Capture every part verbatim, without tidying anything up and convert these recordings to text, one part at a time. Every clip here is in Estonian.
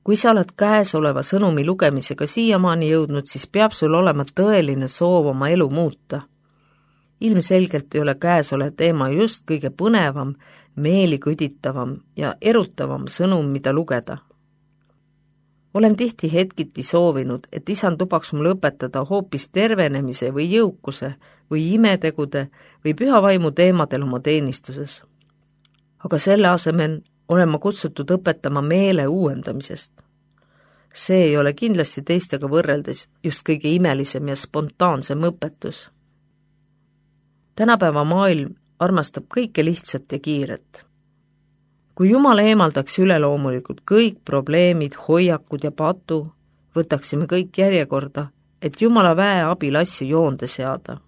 Kui sa oled käesoleva sõnumi lugemisega siiamaani jõudnud, siis peab sul olema tõeline soov oma elu muuta. Ilmselgelt ei ole käesolev teema just kõige põnevam, meelikõditavam ja erutavam sõnum, mida lugeda. Olen tihti hetkiti soovinud, et isand lubaks mul õpetada hoopis tervenemise või jõukuse või imetegude või püha vaimu teemadel oma teenistuses. Aga selle asemel olen ma kutsutud õpetama meele uuendamisest. See ei ole kindlasti teistega võrreldes just kõige imelisem ja spontaansem õpetus. Tänapäeva maailm armastab kõike lihtsat ja kiiret. Kui Jumal eemaldaks üleloomulikult kõik probleemid, hoiakud ja patu, võtaksime kõik järjekorda, et Jumala väe abil asju joonde seada.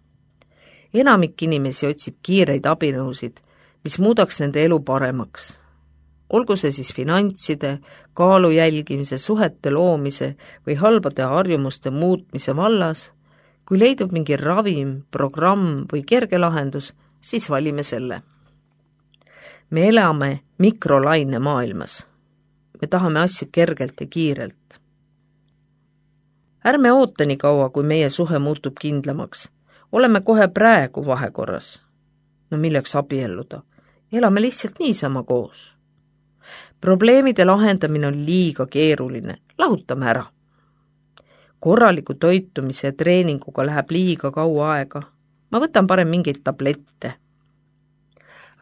Enamik inimesi otsib kiireid abinõusid, mis muudaks nende elu paremaks. Olgu see siis finantside, kaalu jälgimise, suhete loomise või halbade harjumuste muutmise vallas, kui leidub mingi ravim, programm või kerge lahendus, siis valime selle. Me elame mikrolaine maailmas. Me tahame asju kergelt ja kiirelt. Ärme oota nii kaua, kui meie suhe muutub kindlamaks. Oleme kohe praegu vahekorras. No milleks abielluda? Elame lihtsalt niisama koos. Probleemide lahendamine on liiga keeruline. Lahutame ära. Korraliku toitumise ja treeninguga läheb liiga kaua aega. Ma võtan parem mingeid tablette.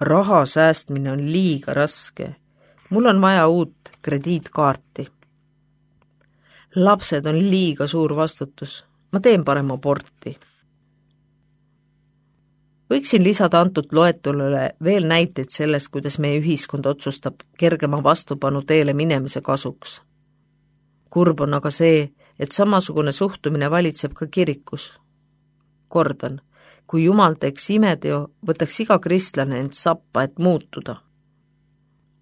Raha säästmine on liiga raske. Mul on vaja uut krediitkaarti. Lapsed on liiga suur vastutus. Ma teen parem aborti. Võiksin lisada antud loetulule veel näiteid sellest, kuidas meie ühiskond otsustab kergema vastupanu teele minemise kasuks. Kurb on aga see, et samasugune suhtumine valitseb ka kirikus. Kordan, kui Jumal teeks imeteo, võtaks iga kristlane end sappa, et muutuda.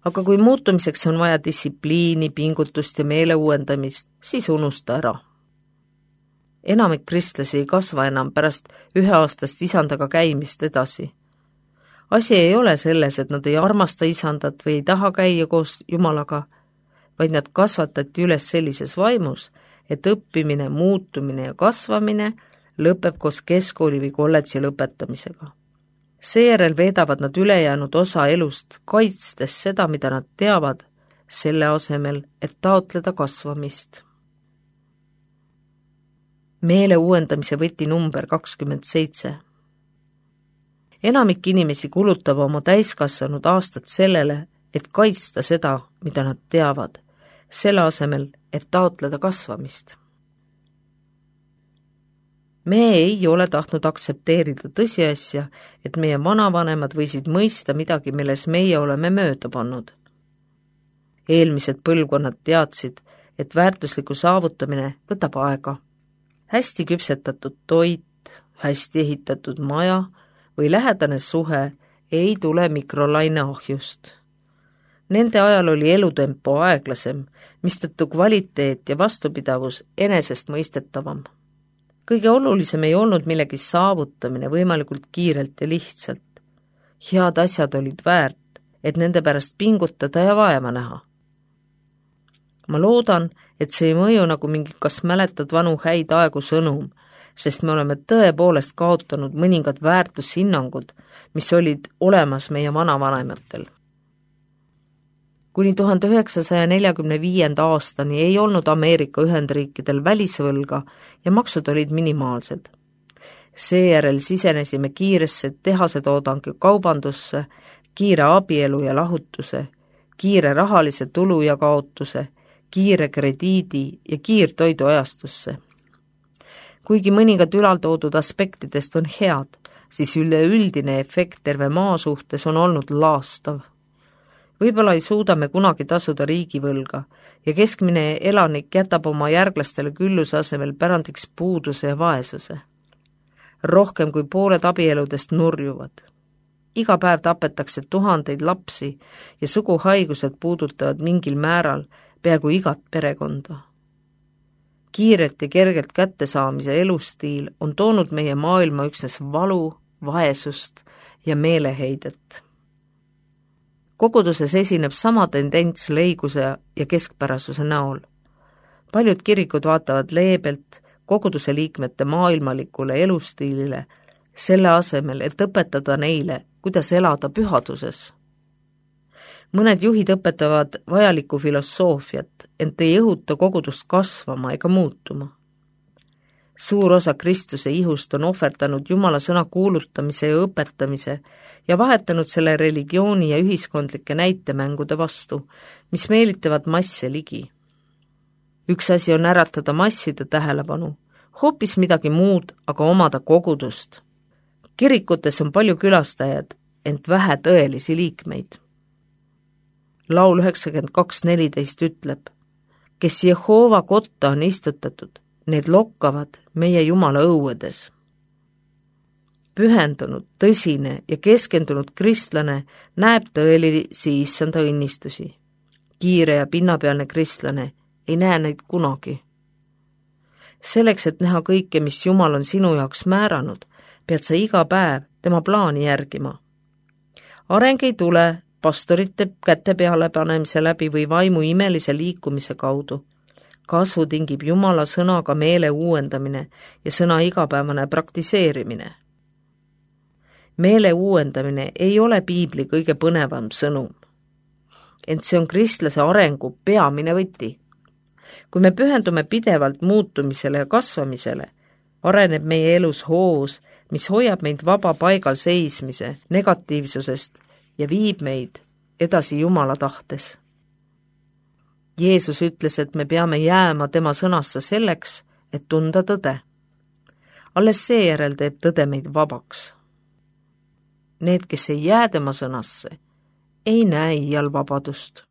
Aga kui muutumiseks on vaja distsipliini, pingutust ja meele uuendamist, siis unusta ära. Enamik kristlasi ei kasva enam pärast üheaastast isandaga käimist edasi. Asi ei ole selles, et nad ei armasta isandat või ei taha käia koos Jumalaga, vaid nad kasvatati üles sellises vaimus, et õppimine, muutumine ja kasvamine lõpeb koos keskkooli või kolledži lõpetamisega. Seejärel veedavad nad ülejäänud osa elust, kaitstes seda, mida nad teavad, selle asemel, et taotleda kasvamist. Meele uuendamise võti number kakskümmend seitse. Enamik inimesi kulutab oma täiskasvanud aastat sellele, et kaitsta seda, mida nad teavad, selle asemel, et taotleda kasvamist. Me ei ole tahtnud aktsepteerida tõsiasja, et meie vanavanemad võisid mõista midagi, milles meie oleme mööda pannud. Eelmised põlvkonnad teadsid, et väärtusliku saavutamine võtab aega. Hästi küpsetatud toit, hästi ehitatud maja või lähedane suhe ei tule mikrolaine ahjust. Nende ajal oli elutempo aeglasem, mistõttu kvaliteet ja vastupidavus enesest mõistetavam. Kõige olulisem ei olnud millegi saavutamine võimalikult kiirelt ja lihtsalt. Head asjad olid väärt, et nende pärast pingutada ja vaeva näha. Ma loodan, et see ei mõju nagu mingi kas mäletad vanu häid aegu sõnum, sest me oleme tõepoolest kaotanud mõningad väärtushinnangud, mis olid olemas meie vanavanematel. Kuni tuhande üheksasaja neljakümne viienda aastani ei olnud Ameerika Ühendriikidel välisvõlga ja maksud olid minimaalsed. Seejärel sisenesime kiiresse tehasetoodangu kaubandusse, kiire abielu ja lahutuse, kiire rahalise tulu ja kaotuse, kiire krediidi ja kiirtoidu ajastusse. Kuigi mõningad ülaltoodud aspektidest on head, siis üleüldine efekt terve maa suhtes on olnud laastav. Võib-olla ei suuda me kunagi tasuda riigivõlga ja keskmine elanik jätab oma järglastele külluse asemel pärandiks puuduse ja vaesuse. Rohkem kui pooled abieludest nurjuvad. Iga päev tapetakse tuhandeid lapsi ja suguhaigused puudutavad mingil määral peaaegu igat perekonda. Kiirelt ja kergelt kättesaamise elustiil on toonud meie maailma üksnes valu, vaesust ja meeleheidet. koguduses esineb sama tendents lõiguse ja keskpärasuse näol. Paljud kirikud vaatavad leebelt koguduse liikmete maailmalikule elustiilile, selle asemel, et õpetada neile, kuidas elada pühaduses. Mõned juhid õpetavad vajalikku filosoofiat, ent ei õhuta kogudust kasvama ega muutuma. Suur osa Kristuse ihust on ohverdanud Jumala sõna kuulutamise ja õpetamise ja vahetanud selle religiooni ja ühiskondlike näitemängude vastu, mis meelitavad masse ligi. Üks asi on äratada masside tähelepanu, hoopis midagi muud, aga omada kogudust. Kirikutes on palju külastajad, ent vähe tõelisi liikmeid. Laul üheksakümmend kaks neliteist ütleb, kes Jehova kotta on istutatud, need lokkavad meie Jumala õuedes. Pühendunud, tõsine ja keskendunud kristlane näeb tõelisi issanda õnnistusi. Kiire ja pinnapealne kristlane ei näe neid kunagi. Selleks, et näha kõike, mis Jumal on sinu jaoks määranud, pead sa iga päev tema plaani järgima. Areng ei tule pastorite käte peale panemise läbi või vaimu imelise liikumise kaudu. Kasvu tingib Jumala sõnaga meele uuendamine ja sõna igapäevane praktiseerimine. Meele uuendamine ei ole piibli kõige põnevam sõnum, ent see on kristlase arengu peamine võti. Kui me pühendume pidevalt muutumisele ja kasvamisele, areneb meie elus hoos, mis hoiab meid vaba paigal seismise negatiivsusest ja viib meid edasi Jumala tahtes. Jeesus ütles, et me peame jääma tema sõnasse selleks, et tunda tõde. Alles seejärel teeb tõde meid vabaks. Need, kes ei jää tema sõnasse, ei näe iial vabadust.